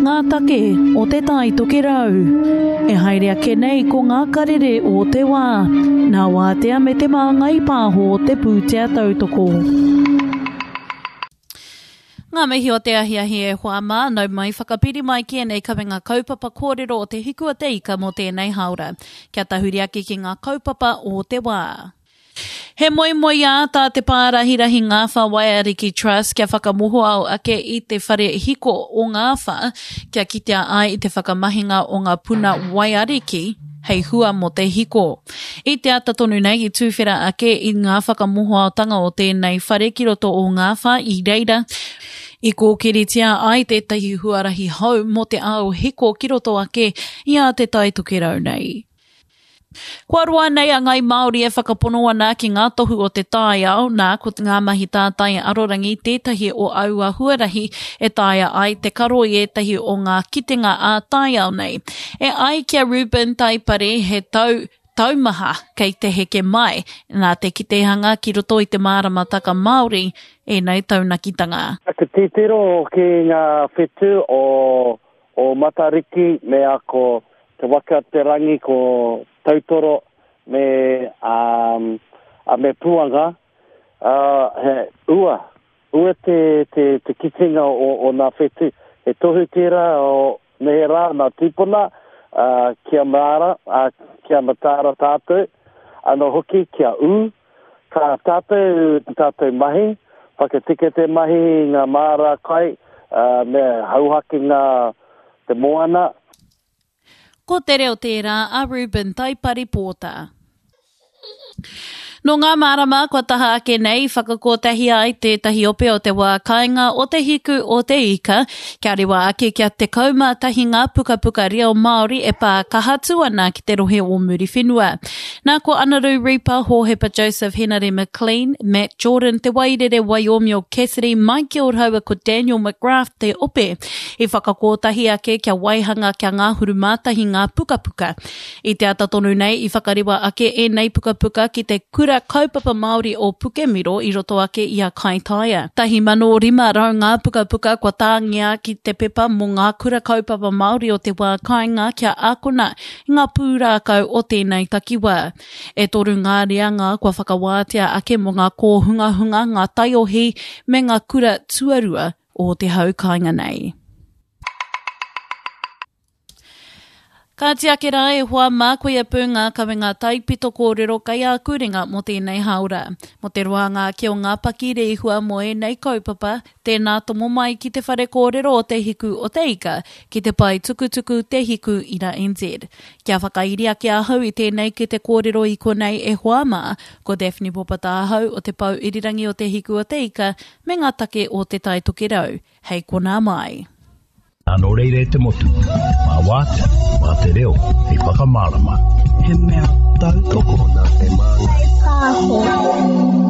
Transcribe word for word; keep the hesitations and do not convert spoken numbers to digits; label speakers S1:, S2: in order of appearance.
S1: ngā take o Te Tai Tokerau. E haere ake nei ko ngā karere o te wā, nā Wātea me Te Māngai Pāho te pūtea tautoko. Ngā mihi o te ahiahi e hoa mā, nau mai whakapiri mai ki ēnei kawenga kaupapa kōrero o Te Hiku o te Ika mō tēnei hāora. Kia tahuri ake ki ngā kaupapa o te wā. He moemoeā tā Te Pārahirahi Ngāwhā Waiariki Trust kia whakamohoao ake i te whare hiko o Ngāwhā kia kitea ai i te whakamahinga o ngā puna waiariki hei hua mō te hiko. I te ata tonu nei i tūwhera ake i ngā whakamohoaotanga o tēnei whare ki roto o Ngāwhā i reira i kōkiritia ai tētahi huarahi hou mō te ao hiko ki roto ake i a Te Tai Tokerau nei. Kua roa nei a Ngai Māori e whakapono ana ki ngā tohu o te taiao, nā, ko ngā mahi tātai arorangi tētahi o aua huarahi e taea ai te karo i ētahi o ngā kitenga ā-taiao nei. E ai ki a Reuben Taipari, he tau taumaha kei te heke mai, nā te kitehanga ki roto i te māramataka Māori ēnei taunakitanga.
S2: Aku titiro ki ngā whetū o, o Matariki me a ko Te Waka Te Rangi, ko Tautoro me, um, a me Puanga, uh, he ua, ua te, te, te kitenga o, o ngā whetū. He tohu tērā o neherā nā tīpuna, uh, kia māra, uh, kia mataara tātou, anō hoki kia ū, ka tātou tātou mahi, whakatika te mahi i ngā māra kai, uh, me hauhake ngā te moana.
S1: Ko te reo tērā a Reuben Taipari Pōta. Nō ngā marama kua taha ake nei i whakakotahi ai tētahi ope o te wā kāinga o Te Hiku o Te Ika, kia rewa ake kia tekau mā tahi ngā pukapuka reo Māori e pā kaha atu ana ki te rohe o Muriwhenua. Nā ko Anaru Ripa, Hōhepa Joseph Henare McLean, Matt Jordan, Te Wairere Waiomio Cassidy, Michael rāua ko Daniel McGrath te ope i whakakotahi ake kia waihanga kia ngahuru mātahi ngā pukapuka. I te ata tonu nei i whakarewa ake ēnei pukapuka ki te Kura Kaupapa Māori o Pukemiro i roto ake i a Kaitaia. Tahi mano rima rau ngā pukapuka kua tāngia ki te pepa mō ngā kura kaupapa Māori o te wā kāinga kia ākona i ngā pūrākau o tēnei takiwā. E toru ngā reanga kua whakawātea ake mō ngā kōhungahunga, ngā taiohi me ngā kura tuarua o te hau kāinga nei. Kāti ake rā e hoa mā, koia pū ngā kawenga taipito kōrero kei āku ringa mō tēnei hāora. Mō te roanga ake o ngā paki rēhua mō ēnei kaupapa, tēnā tomo mai ki te whare kōrero o Te Hiku o Te Ika, ki te pae tukutuku Te Hiku Ira N Z. Kia whakairi ake ahau i tēnei ki te kōrero i konei e hoa mā, ko Daphne Popata ahau o te Pou Irirangi o Te Hiku o Te Ika me ngā take o Te Tai Tokerau. Hei konā mai.
S3: Nō reira e te motu, mā wātea, mā te reo, hei whakamārama.
S4: He mea tautoko
S5: nā Te Māngai Pāho.